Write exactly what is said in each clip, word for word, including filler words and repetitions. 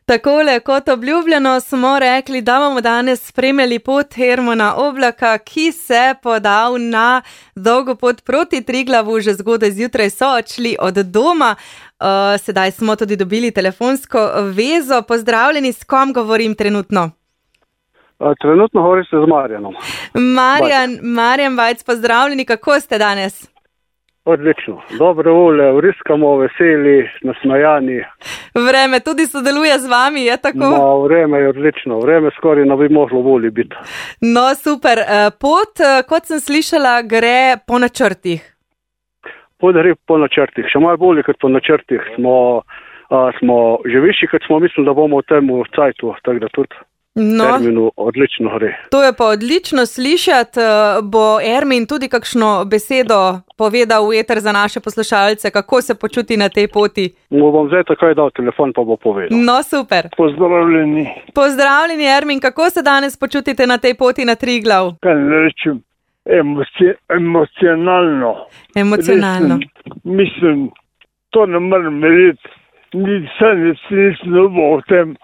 Takole, kot obljubljeno, smo rekli, da bomo danes spremljali pot Hermana Oblaka, ki se podal na dolgo pot proti Triglavu, že zgodaj zjutraj so odšli od doma. Uh, sedaj smo tudi dobili telefonsko vezo. Pozdravljeni, s kom govorim trenutno? Uh, trenutno govorite z Marjanom. Marjan, Marjan Vajc, pozdravljeni, kako ste danes? Odlično, dobre volje, vriskamo, veseli, nasmejani. Vreme tudi sodeluje z vami, je tako? No, vreme je odlično, vreme skoraj ne bi moglo bolje biti. No, super. Pot, kot sem slišala, gre po načrtih. Pot gre po načrtih, še malo bolje kot po načrtih. Smo, a, smo že višji, kot smo mislili, da bomo v tem cajtu, tako da tudi no, terminu odlično gre. To je pa odlično slišati. Bo Ermin tudi kakšno besedo povedal v eter za naše poslušalce, kako se počuti na tej poti? Mu bom zdaj takoj dal telefon, pa bo povedal. No, super. Pozdravljeni. Pozdravljeni, Ermin, kako se danes počutite na tej poti na Triglav? Kaj ne rečem, emoci, emocionalno. Emocionalno. Mislim, mislim, to ne morem verjeti. Nisem, nisem dobil o tem,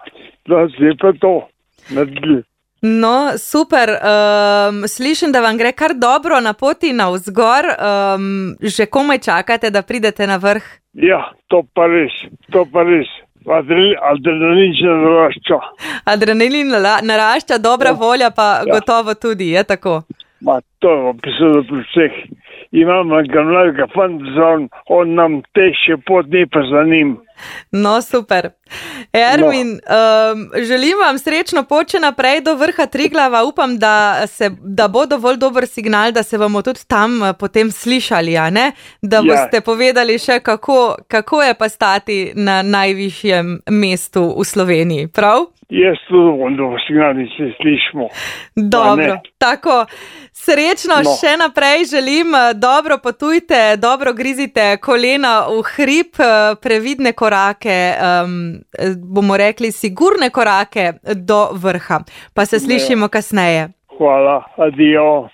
da se je pa to naredili. No, super. Um, slišim, da vam gre kar dobro na poti navzgor. Um, že komaj čakate, da pridete na vrh? Ja, to pa res, to pa res. Adrenalin še narašča. Adrenalin narašča, dobra ja. volja pa ja. gotovo tudi, je tako? Ma, to je opisano pri vseh. Imamo ga mladega fanta, on, on nam teže pot, ni pa za njim. No, super. Ermin, no. um, želim vam srečno pot še naprej do vrha Triglava. Upam, da, se, da bo dovolj dober signal, da se bomo tudi tam potem slišali, a ne? Da ja. boste povedali še, kako, kako je pa stati na najvišjem mestu v Sloveniji, prav? Jaz tudi bom dober signal, da se slišimo. Dobro, tako. Srečno no. še naprej želim, dobro potujte, dobro grizite kolena v hrib, previdne korake, um, bomo rekli sigurne korake do vrha. Pa se slišimo kasneje. Hvala, adijo.